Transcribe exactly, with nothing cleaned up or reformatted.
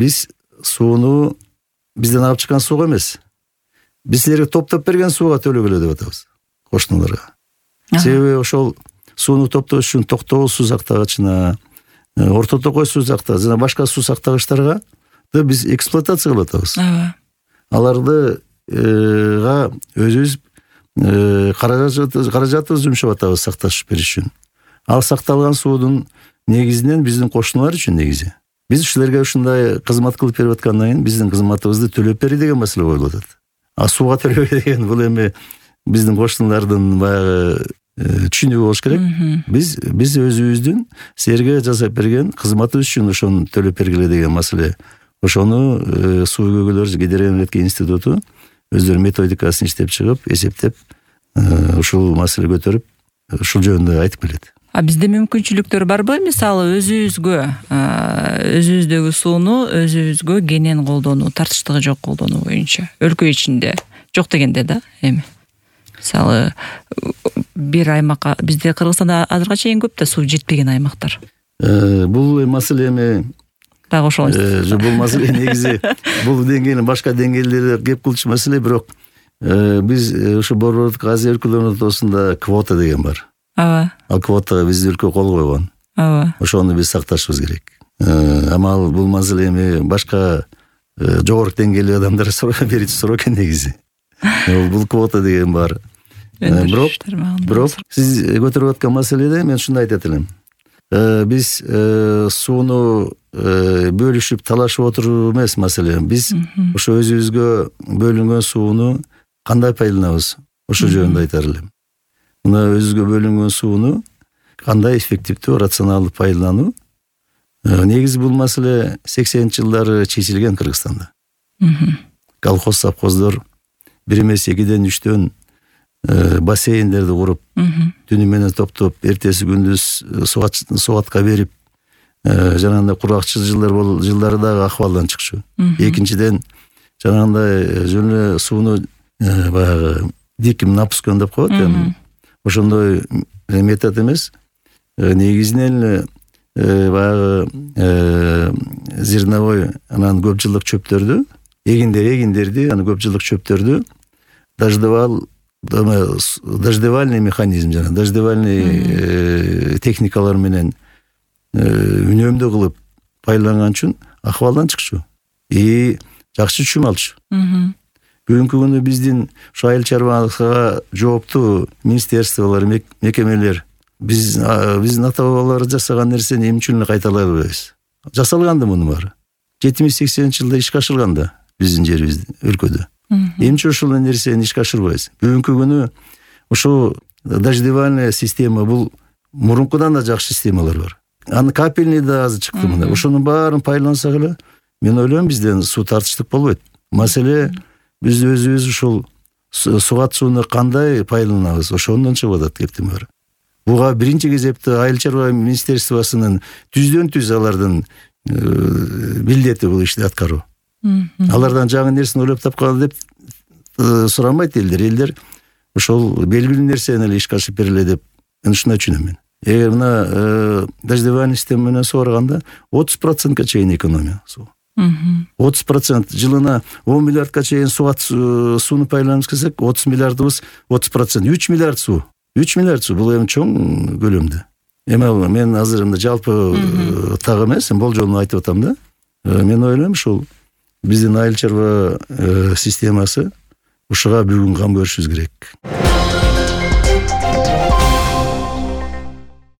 биз сууну бизден алып чыккан сууга эмес, биз силерге топтоп берген сууга төлөгүлө деп атабыз кошуналарга. Себеби ошол сууну топтош үчүн Токтогул суу сактагычына, Орто Токой суу сактагыч жана башка суу сактагычтарга биз эксплуатация кылып атабыз. Аларды га өзүбүз каражатыбызды жумшап атабыз сакташ бериш үчүн. Ал сакталган суудун негизинен биздин кошуналар үчүн негизи. Биз ушуларга ушундай кызмат кылып берип аткандан кийин биздин кызматыбызды төлөп бери деген маселе коюлуп атат. А сууга төлөбөй деген бул эми биздин кошуналардын баягы түшүнүгү болуш керек. Биз биз өзүбүздүн силерге жасап берген кызматыбыз үчүн ошону төлөп бергиле деген маселе. Ошону суу көйгөйлөр гидроэнергетика институту өздөрү методикасын иштеп чыгып, эсептеп, ушул маселе көтөрүп, ушул жөнүндө айтып келет. А бизде мүмкүнчүлүктөр барбы? Мисалы өзүбүзгө, өзүбүздөгү сууну өзүбүзгө кенен колдонуу, тартыштыгы жок колдонуу боюнча өлкө ичинде жок дегенде да эми. Мисалы бир аймакка бизде Кыргызстанда азыркыга чейин көп да суу жетпеген аймактар. Бул маселе эми дагы ошол. Бул маселе негизи бул деңгээлден башка деңгээлдерде кеп кылчу маселе, бирок биз ушу Борбордук Азия өлкөлөрүнүн ортосунда квота деген бар. Ооба. Ал квотага биздин өлкө кол койгон. Ооба. Ошону биз сакташыбыз керек. Амал бул маселе эми башка жогорку деңгээлдеги адамдар берүүчү суроо экен негизи. Бул квота деген бар. Бирок бирок сиз көтөрүп аткан маселеде мен ушундай айтат элем. Биз сууну бөлүшүп талашып отуруп эмес маселе. Биз ошо өзүбүзгө бөлүнгөн сууну кандай пайдаланабыз? Ошол жөнүндө айтар элем. Мына өзүгө бөлүнгөн сууну кандай эффективдүү, рационалдуу пайдалануу. Негизи бул маселе сексенинчи жылдары чечилген Кыргызстанда. Колхоз совхоздор бир эмес экиден үчтөн бассейндерди куруп, түнү менен топтоп, эртеси күндүз сугатка берип, жанагындай кургакчыл жылдар бол жылдары дагы акыбалдан чыкчу. Экинчиден жанагындай жөн эле сууну баягы диким напускан деп коет эми. Ошондой метод эмес. Негизинен эле баягы зерновой анан көп жылдык чөптөрдү, эгиндер эгиндерди, анан көп жылдык чөптөрдү дождевал дождевальный механизм жана дождевальный техникалар менен үнөмдүү кылып пайдаланган үчүн акыбалдан чыкчу. И жакшы чүм алчу. Бүгүнкү күнү биздин ушу айыл чарбалыкка жооптуу министерстволор, мекемелер биз биздин ата бабалар жасаган нерсени эмне үчүн эле кайталай албайбыз? Жасалган да мунун баары. жетимиш сексенинчи жылда ишке ашырган да биздин жерибизде, өлкөдө. Эмче ушул нерсени ишке ашырбайбыз? Бүгүнкү күнү ушу дождевальная система бул мурункудан да жакшы системалар бар. Аны капельный да азыр чыкты мына. Ошонун баарын пайдалансак эле, мен ойлойм бизден суу тартыштык болбойт. Маселе биз өзүбүз ушул сугат сууну кандай пайдаланабыз, ошондон чыгып атат кептин баары. Буга биринчи кезекте айыл чарба министерствосунун түздөн түз алардын милдети бул ишти аткаруу. Алардан жаңы нерсени ойлоп тапкан деп сурамайт элдер. Элдер ошол белгилүү нерсени эле ишке ашырып бериле деп мен ушундай түшүнөм мен. Эгер мына дождевальный система менен сугарганда отуз процентке чейин экономия суу. отуз процент жылына он миллиардка чейин сугат сууну пайдаланабыз десек, отуз миллиардыбыз отуз процент үч миллиард суу. үч миллиард суу бул эми чоң көлөмдө. Эми мен азыр мында жалпы так эмес, болжолун айтып атам да. Мен ойлойм ушул биздин айыл чарба системасы ушуга бүгүн кам көрүшүбүз керек.